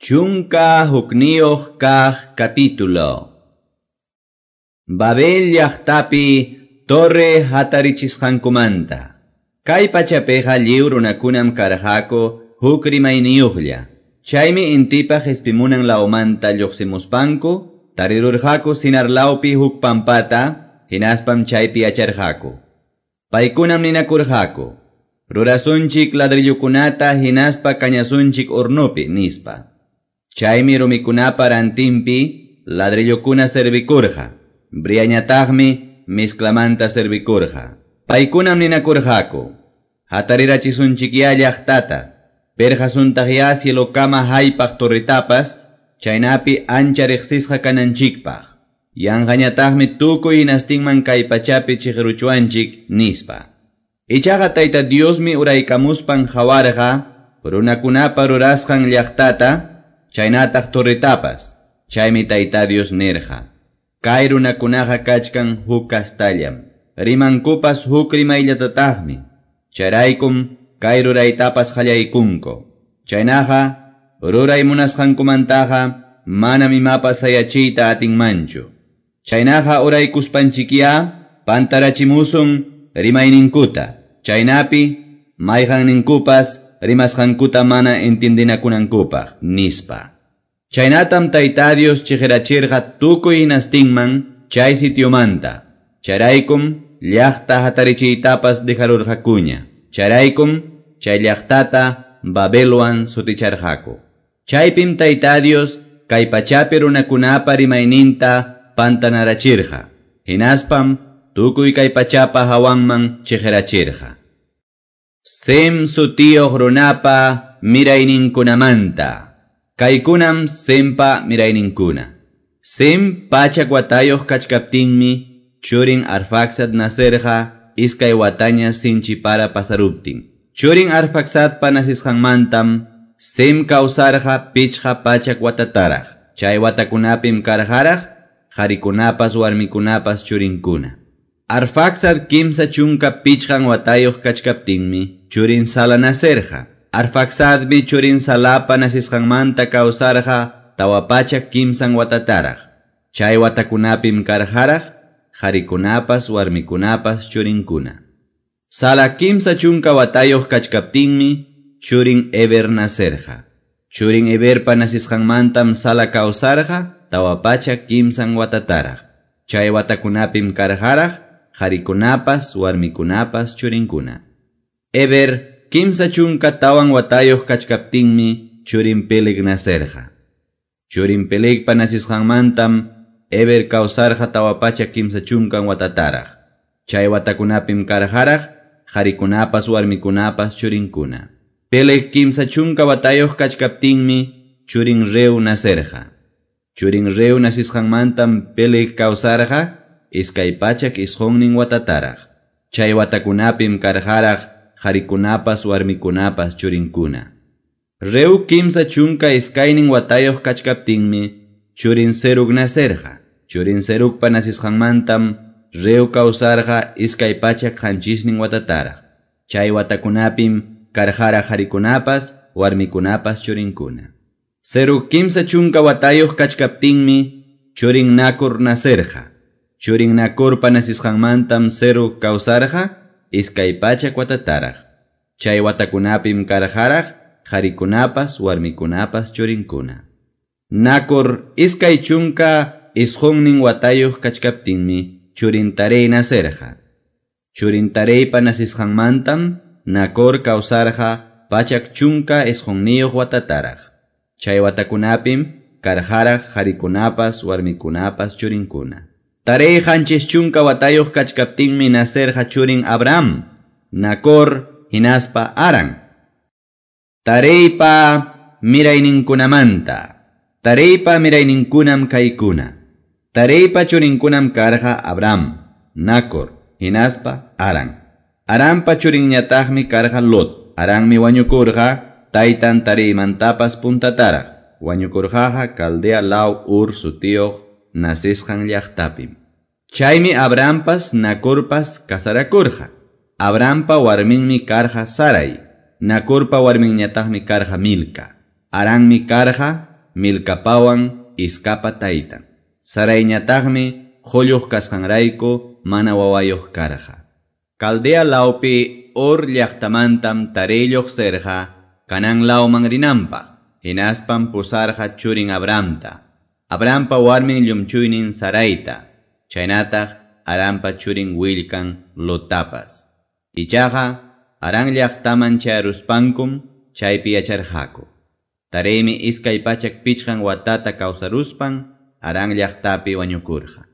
11 kaq capítulo. Babel llaqtapi torre hatarichisqankumanta. Kay pachapiqa lliw runakunam karqaku huk rimayniyuqlla. Chaymi intipa qispimunan lawmanta lluqsimuspanku tarirurqaku Sinar lawpi huk pampata, hinaspam chaypi yacharqaku. Paykunam ninakurqaku: Rurasunchik ladrillukunata hinaspa kañasunchik hornopi, nispa. Chaymi rumikunapa rantinpi ladrillukuna servikurqa. Briañataqmi mezclamanta servikurqa. Paykunam ninakurqaku: Hatarirachisunchikyá llaqtata, pirqasuntaqyá cielokama haypaq torretapas, chaynapi ancha riqsisqa kananchikpaq. Yanqañataqmi tukuy hinastinman kay pachapi chiqruchuanchik, nispa. Ichaqa Tayta Diosmi uraykamuspan qawarqa runakunapa rurasqan llaqtata, chaynataq torretapas. Chaymi Tayta Dios nirqa: Kay runakunaqa kachkan huk kastallam, rimankupas huk rimayllatataqmi. Chayraykum kay ruraytapas qallaykunku. Chaynaqa ruray munasqankumantaqa manam imapas sayachiyta atinmanchu. Chaynaqa uraykuspanchikyá pantarachimusun rimayninkuta, chaynapi mayqanninkupas rimasqankuta mana entiendinakunankupaq, nispa. Chaynatam Tayta Dios chiqirachirqa tukuy hinastinman chay sitiomanta. Chayraykum llaqta hatarichiytapas dejarurqakuña. Chayraykum chay llaqtata Babelwan suticharqaku. Chaypim Tayta Dios kay pachapi runakunapa rimayninta pantanarachirqa. Hinaspam tukuy kay pachapa hawanman chiqirachirqa. Sem sutiyuq runapa mirayninkunamanta. Kaykunam Sempa mirayninkuna. Sem pachak watayuq kachkaptinmi churin Arfaxad nacerqa iskay wataña sinchi para pasaruptin. Churin Arfaxadpa nasisqanmantam Sem kawsarqa 500 watataraq. Chay watakunapim karqaraq qarikunapas warmikunapas churinkuna. Arfaxad 35 watayuq kachkaptinmi churin Sala nacerqa. Arfaxadmi churin Salapa nasisqanmanta kawsarqa 403 watataraq. Chay watakunapim karqaraq qarikunapas warmikunapas churinkuna. Sala 30 watayuq kachkaptinmi churin Eber nacerqa. Churin Eberpa nasisqanmantam Sala kawsarqa 403 watataraq. Chay watakunapim karqaraq qarikunapas warmikunapas churinkuna. Eber 34 watayuq kachkaptinmi churin Peleg nacerqa. Churin Pelegpa nasisqanmantam Eber kawsarqa 430 watataraq. Chay watakunapim karqaraq qarikunapas warmikunapas churinkuna. Peleg 30 watayuq kachkaptinmi churin Reu nacerqa. Churin Reu nasisqanmantam Peleg kawsarqa 209 watataraq. Chay watakunapim karqaraq qarikunapas warmikunapas churinkuna. Reu 32 watayuq kachkaptinmi churin Serug nacerqa. Churin Serugpa nasisqanmantam Reu kawsarqa 207 watataraq. Chay watakunapim karqaraq qarikunapas warmikunapas churinkuna. Serug 30 watayuq kachkaptinmi churin Nacor nacerqa. Churin Nacorpa nasisqanmantam Serug kawsarqa 200 watataraq. Chay watakunapim karqaraq qarikunapas warmikunapas churinkuna. Nacor 29 watayuq kachkaptinmi churin Tarey nacerqa. Churin Tareypa nasisqanmantam Nacor kawsarqa 119 watataraq. Chay watakunapim karqaraq qarikunapas warmikunapas churinkuna. Tarey 70 watayuq kachkaptinmi nacerqa churin Abraham, Nacor hinaspa Haran. Tareypa mirayninkunamanta. Tareypa mirayninkunam kaykuna. Tareypa churinkunam karqa Abraham, Nacor hinaspa Haran. Haranpa churinñataqmi karqa Lot. Haranmi wañukurqa taytan Tareymantapas puntataraq. Wañukurqaqa Caldea law Ur sutiyuq nasisqan llaqtapim. Chaymi Abrahampas Nacorpas casarakurqa. Abrahampa warminmi karqa Sarai. Nacorpa warminñataqmi karqa Milca. Haranmi karqa Milcapawan Iscapa taytan. Saraiñataqmi qulluq kasqanrayku mana wawayuq karqa. Caldea lawpi Ur llaqtamantam Taré lluqsirqa Canaán lawman rinanpaq, hinaspam pusarqa churin Abramta, Abrampa warmin llumchuynin Saraita, chaynataq Haranpa churin willkan Lottapas. Ichaqa Harán llaqtaman chayaruspankum chaypi yacharqaku. Taremi 205 watata kawsaruspan Harán llaqtapi wañukurqa.